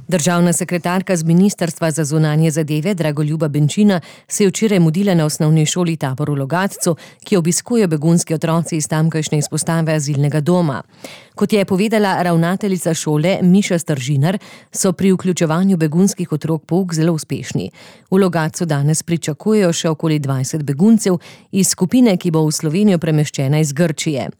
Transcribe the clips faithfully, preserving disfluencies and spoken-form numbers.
Državna sekretarka z Ministrstva za zunanje zadeve Dragoljuba Benčina se je včeraj mudila na osnovni šoli Tabor v Logatcu, ki jo obiskujejo begunski otroci iz tamkajšnje izpostave azilnega doma. Kot je povedala ravnateljica šole Miša Stržinar, so pri vključevanju begunskih otrok pouk zelo uspešni. V Logatcu danes pričakujejo še okoli dvajset beguncev iz skupine, ki bo v Slovenijo premeščena iz Grčije.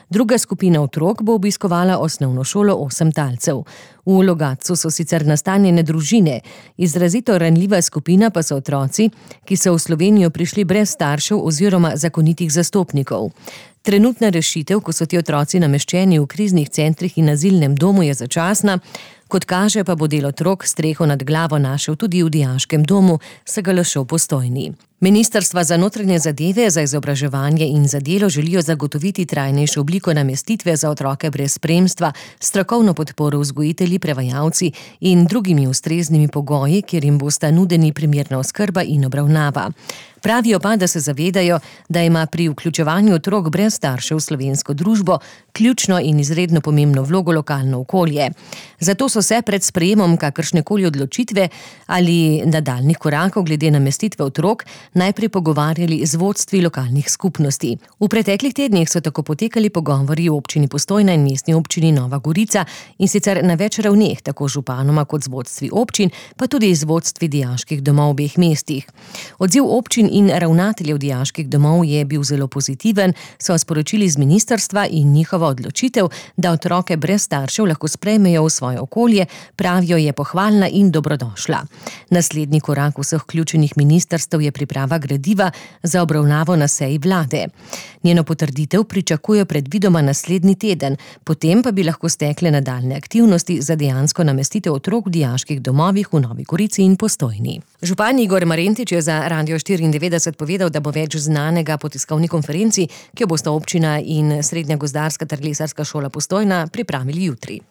Druga skupina otrok bo obiskovala osnovno šolo Osem talcev. V Logatcu so sicer nastanjene družine, izrazito ranljiva skupina pa so otroci, ki so v Slovenijo prišli brez staršev oziroma zakonitih zastopnikov. Trenutna rešitev, ko so ti otroci nameščeni v kriznih centrih in azilnem domu, je začasna, kot kaže pa bo del otrok streho nad glavo našel tudi v dijaškem domu, se ga lašo Postojni. Ministrstva za notranje zadeve, za izobraževanje in za delo želijo zagotoviti trajnejšo obliko namestitve za otroke brez spremstva, strokovno podporo vzgojitelji, prevajalci in drugimi ustreznimi pogoji, kjer jim bosta nudeni primerna oskrba in obravnava. Pravijo pa, da se zavedajo, da ima pri vključevanju otrok brez staršev v slovensko družbo ključno in izredno pomembno vlogo lokalno okolje. Zato so se pred sprejemom kakršnekoli odločitve ali nadaljnjih korakov glede namestitve otrok najprej pogovarjali z vodstvi lokalnih skupnosti. V preteklih tednih so tako potekali pogovori v občini Postojna in mestni občini Nova Gorica, in sicer na več ravneh, tako županoma kot z vodstvi občin, pa tudi z vodstvi dijaških domov v obeh mestih. Odziv občin in ravnateljev dijaških domov je bil zelo pozitiven, so sporočili z ministrstva, in njihova odločitev, da otroke brez staršev lahko sprejmejo v svoje okolje, pravijo, je pohvalna in dobrodošla. Naslednji korak vseh vključenih ministrstev je priprava gradiva za obravnavo na seji vlade. Njeno potrditev pričakujejo predvidoma naslednji teden, potem pa bi lahko stekle nadaljne aktivnosti za dejansko namestitev otrok v dijaških domovih v Novi Gorici in Postojni. Župan Igor Marentič je za Radio štiriindevetdeset povedal, da bo več znanega po tiskovni konferenci, ki jo bosta občina in Srednja gozdarska ter lesarska šola Postojna pripravili jutri.